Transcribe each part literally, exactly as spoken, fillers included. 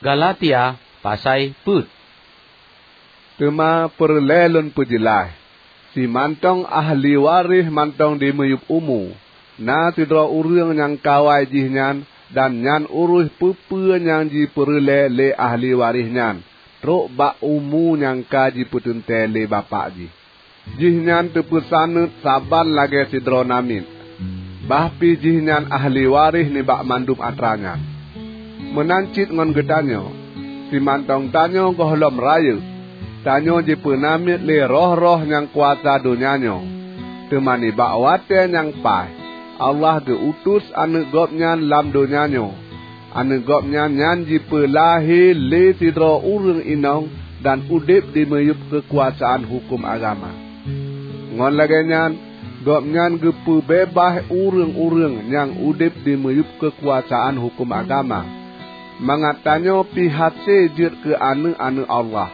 Galatia pasai peuet. Teuma peureulée lôn peujeulaih, simantong ahli waréh mantong dimeuyueb umu, na sidroe ureuëng nyang kawai jih nyan, dan nyan uroh peue-peue nyang jipeureulée lé ahli waréh nyan trok bak umu nyang ka jipeuteuntée lé bapak jih. Jihnyan teupeusaneut saban lagée sidroe namiet, bah pih jihnyan ahli waréh nibak mandum atra nyan. Meunan cit ngon geutanyoe, simantong tanyoe gohlom rayeuk, tanyoe jipeunamiet lé roh-roh nyang kuasa donya nyoe. Teuma nibak watée nyang paih, Allah geu-utus Aneuëk Gobnyan lam donya nyoe. Aneuëk Gobnyan nyan jipeulahé lé sidroe ureuëng inong dan udeb dimeuyueb keukuasaan huköm agama. Ngon lagée nyan, Gobnyan geupeubeubah ureuëng-ureuëng nyang udeb dimeuyueb keukuasaan huköm agama, mangat tanyoe pih hase jeuet keu aneuëk-aneuëk Allah.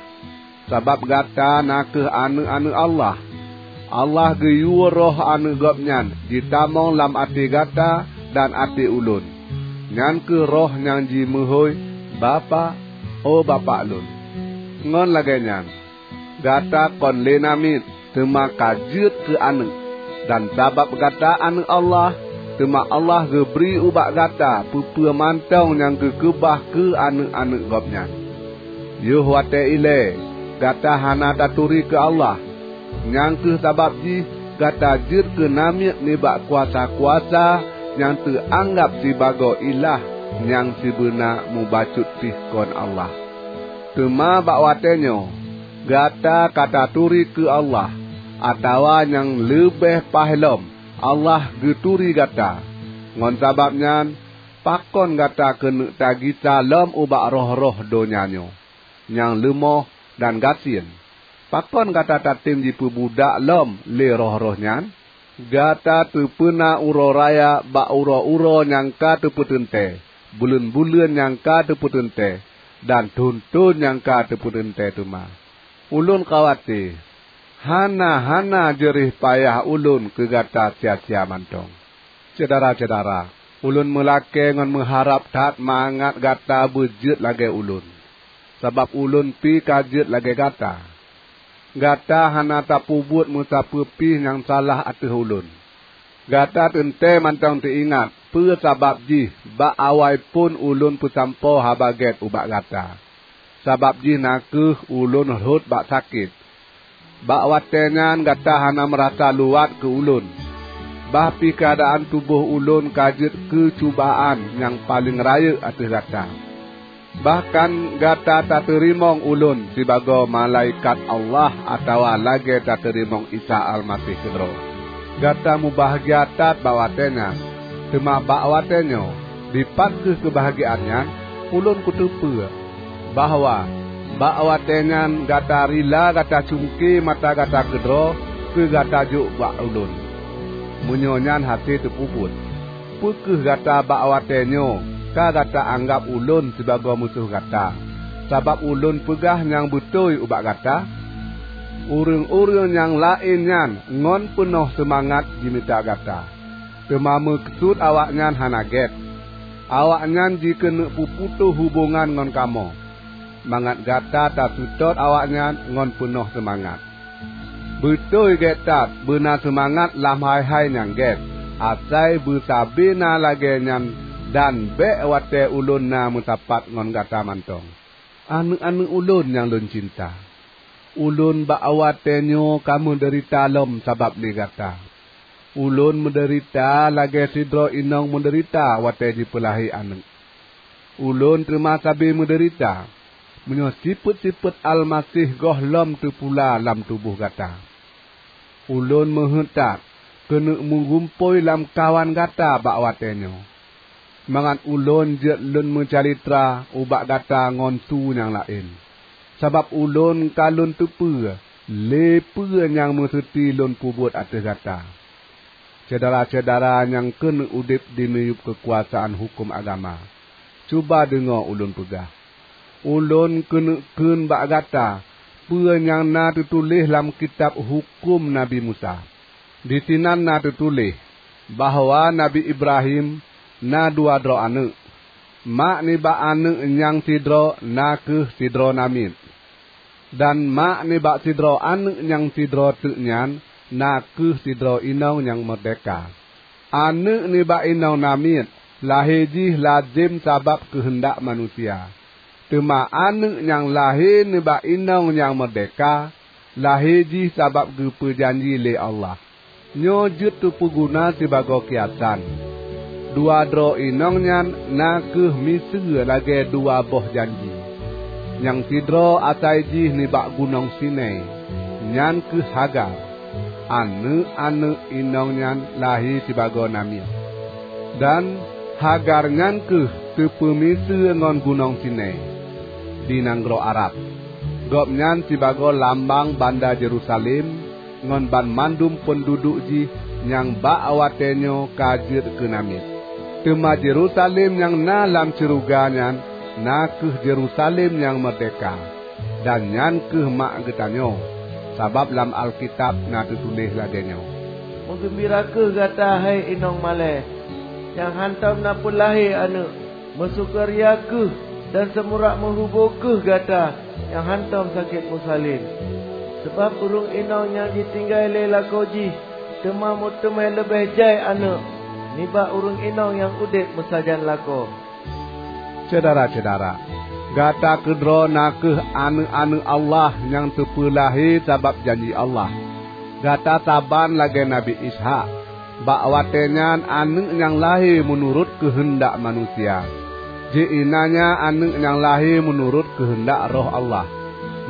Sabab gata na kheueh aneuëk-aneuëk Allah. Allah geuyue Roh Aneuëk Gobnyan jitamong lam até gata dan até ulôn. Nyan kheueh Roh nyang jimeuhôi, "Bapak, o Bapak lôn!" Ngon lagée nyan, gata kon lé namiet, teuma ka jeuet keu aneuëk. Dan sabab gata aneuëk Allah, teuma Allah geubri ubak gata peue-peue mantong nyang geukeubah keu aneuëk-aneuëk Gobnyan. Yoh watée ilée gata hana taturi keu Allah. Nyang kheueh sabab jih gata jeuet keu namiet nibak kuasa-kuasa nyang teuanggab sibagoe ilah nyang sibeuna mubacut pih kon Allah. Teuma bak watée nyoe, gata ka taturi keu Allah, atawa nyang leubeh paih lom, Allah geuturi gata. Ngon sabab nyan, pakon gata keuneuk tagisa lom ubak roh-roh donya nyoe nyang leumoh dan gasien? Pakon gata tatem jipeubudak lom lé roh-roh nyan? Gata teupeuna uroe raya bak uroe-uroe nyang ka teupeuteuntée, buleuen-buleuen nyang ka teupeuteuntée, dan thon-thon nyang ka teupeuteuntée teuma. Ulôn khawate, hana-hana jeureh payah ulôn keu gata sia-sia mantong. Syedara-syedara, ulôn meulakée ngon meuharab that mangat gata beujeuet lagée ulôn, sabab ulôn pih ka jeuet lagée gata. Gata hana tapeubuet meusapeue pih nyang salah ateueh ulôn. Gata teuntée mantong teuingat peue sabab jih bak awai phon ulôn peusampoe Haba Gét ubak gata. Sabab jih na kheueh ulôn rhot bak sakét. Bak watée nyan gata hana meurasa luwat keu ulôn, bah pih keuadaan tuboh ulôn ka jeuet keu cubaan nyang paleng rayeuk ateueh gata. Bahkan gata tateurimong ulôn sibagoe malaikat Allah atawa lagée tateurimong Isa Almaseh keudroe. Gata mubahgia that bak watée nyan, teuma bak watée nyoe, dipat kheueh keubahgiaan nyan? Ulôn kuteupeue bahwa bak watée nyan gata rila gata cungke mata gata keudroe keu gata jok bak ulôn. Meunyoe nyan hase teupeubuet, peu kheueh gata bak watée nyoe ka gata anggab ulôn sibagoe musoh gata, sabab ulôn peugah nyang beutôi ubak gata? Ureuëng-ureuëng nyang laén nyan ngon peunoh seumangat jimita gata, teuma meukeusut awaknyan hana gét. Awaknyan jikeuneuk peuputôh hubongan ngon kamoe, mangat gata taseutôt awaknyan ngon peunoh seumangat. Beutôi gét that beuna seumangat lam hai-hai nyang gét, asai beusabe na lagée nyan dan bék watée ulôn na meusapat ngon gata mantong. Aneuëk-aneuëk ulôn nyang lôn cinta, ulôn bak watée nyoe ka meudeurita lom sabab lé gata. Ulôn meudeurita lagée sidroe inong meudeurita watée jipeulahé aneuëk. Ulôn teuma sabe meudeurita, meunyoe sifeuet-sifeuet Almaseh gohlom teupula lam tuboh gata. Ulôn meuheuét that keuneuk meugumpôi lamkawan gata bak watée nyoe, mangat ulôn jeuet lôn meucalitra ubak gata ngon su nyang laén, sabab ulôn ka lôn teupeue lé peue nyang meuseuti lôn peubuet ateueh gata. Syedara-syedara nyang keuneuk udeb dimiyueb keukuasaan huköm agama, cuba deungoe ulôn peugah. Ulôn keuneuk kheun bak gata peue nyang na teutuléh lam kitab huköm Nabi Musa. Disinan na teutuléh bahwa Nabi Ibrahim na dua droe aneuëk. Mak nibak aneuëk nyang sidroe na kheueh sidroe namiet, dan mak nibak sidroe aneuëk nyang sidroe teuk nyan na kheueh sidroe inong nyang meurdehka. Aneuëk nibak inong namiet lahé jih lazem sabab keuheundak manusia, teuma aneuëk nyang lahé nibak inong nyang meurdehka lahé jih sabab geupeujanji lé Allah. Nyoe jeuet teupeuguna sibagoe kiasan. Dua droe inong nyan na kheueh miseue lagée dua boh janji. Nyang sidroe asai jih nibak gunong Sinai, nyan kheueh Hagar. Aneuëk-aneuëk inong nyan lahé sibagoe namiet. Dan Hagar nyan kheueh teupeumiseue ngon gunong Sinai di nanggroe Arab. Gobnyan sibagoe lambang banda Yerusalem ngon banmandum peunduduek jih nyang bak watée nyoe ka jeuet keu namiet. Teuma Yerusalem nyang na lam syeuruga nyan na kheueh Yerusalem nyang meurdehka, dan nyan kheueh mak geutanyoe, sabab lam Alkitab na teutuléh lagée nyoe, "Meugeumbira kheueh gata, hai inong malée, nyang hántom na peulahé aneuëk! Meusukeuria kheueh dan seumurak meuhubô kheueh gata nyang hántom sakét meusalén! Sabab ureuëng inong nyang jitinggai lé lakoe jih teuma meuteumé leubeh jai aneuëk nibak ureuëng inong nyang udeb meusajan lakoe." Syedara-syedara, gata keudroe na kheueh aneuëk-aneuëk Allah nyang teupeulahé sabab janji Allah. Gata saban lagée Nabi Ishak. Bak watée nyan aneuëk nyang lahé meunurot keuheundak manusia. Jihnanya aneuëk nyang lahé meunurot keuheundak Roh Allah,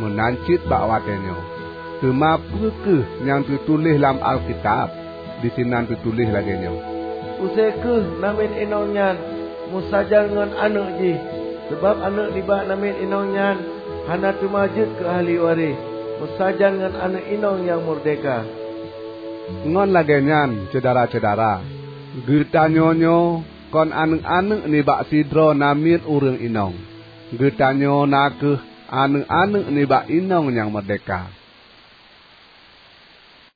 meunan cit bak watée nyoe. Teuma peu kheueh nyang teutuléh lam Alkitab? Disinan teutuléh lagée nyoe, "Use kheueh namiet inong nyan meusajan ngon aneuëk jih, sabab aneuëk nibak namiet inong nyan hana teuma jeuet keu ahli waréh meusajan ngon aneuëk inong nyang meurdehka." Ngon lagée nyan, syedara-syedara, geutanyoe nyoe kon aneuëk-aneuëk nibak sidroe namiet ureuëng inong. Geutanyoe na kheueh aneuëk-aneuëk nibak inong nyang meurdehka.